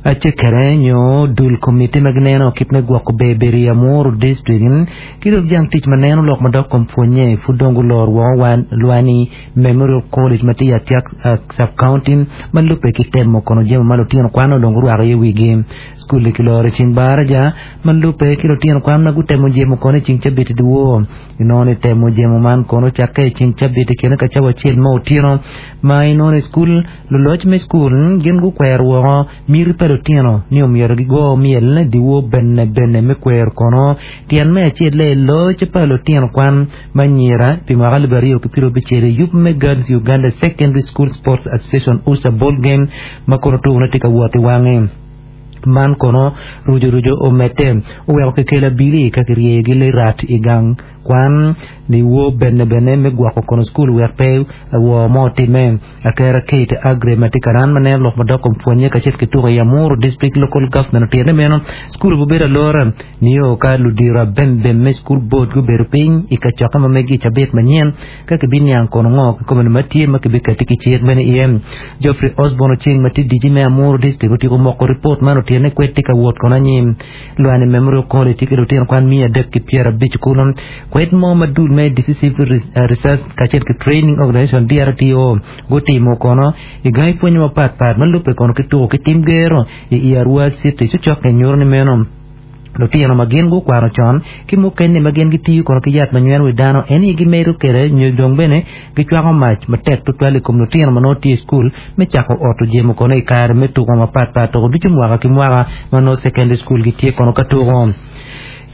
Acekere nyo dul komiti ma gineno kit me gwoko ber bedo i Amuru District ki dok jang tic ma neno lok madok kom pwonye pud dong guloro woko wan Lwani Memorial College ma tye i Atiak Sub-County ma lubbe ki temo kono jami ma lutino kwan onongo gurwako iye wigi. Cukul-li kiloro i ceng baraja ma lubbe ki lutino kwan ma gutemo jemo kono i ceng cabit i dyewor. Inongo ni temo jemo man kono ocakke i ceng cabit i kine ka cawa acel me otyeno ma inongo ni cukul Luloc me cukul gin gukwero woko miti pa lutino ni omyero gigo myel dyewor bene bene me kwero kono tyen me acel-le loc pa lutino kwan ma anyira pi mwaka 2026 i yub me Girls Uganda Secondary School Sports Association USSA Ball Game ma kono tukone tye ka wot i wange. Man kono ruco ruco omedde oweko kikelo abili ka kiryeyogi lirat i gang kwan dyewor bene bene me gwoko kono cukul wek pe woo mo otimme. Akera Kate Agre ma tye karan ma neno lok madok kom pwonye kacel ki tuko i Amuru District Local Government otito ni meno cukul obibedo alora nio ka ludiro abembem me cukul board gubedo piny i kacokke ma megi i cabit manyen ka kibiniang kono ngo kikome ma tye ma kibikati ki cik meno iye. Geoffrey Osborne Oceng ma tye DG me Amuru District otyeko moko ripot man otyene kwed tye ka wot kono anyim. Lwani Memorial College tye ki lutino kwan 350 kulu. Kwed mo ma dul me Decisive Research kacel ki Training Organization, DRTO, gutimo kono i gangi pwonye mapat pat ma lubbe kono ki tuko ki tim gero i i Arua City cucokke nyuto ni meno lutino ma gin gukwano con ki mukene ma gin gitiyo kono ki yat ma nyweno wi dano en aye gimedo kwede nyo dong bene gicwako mac matek tutwal i kom lutino ma nongo tye i cukul me cako oto jemo kono i kare me tuko mapat pat tuko ducu mwaka ki mwaka ma nongo secondary school gitye kono ka tuko.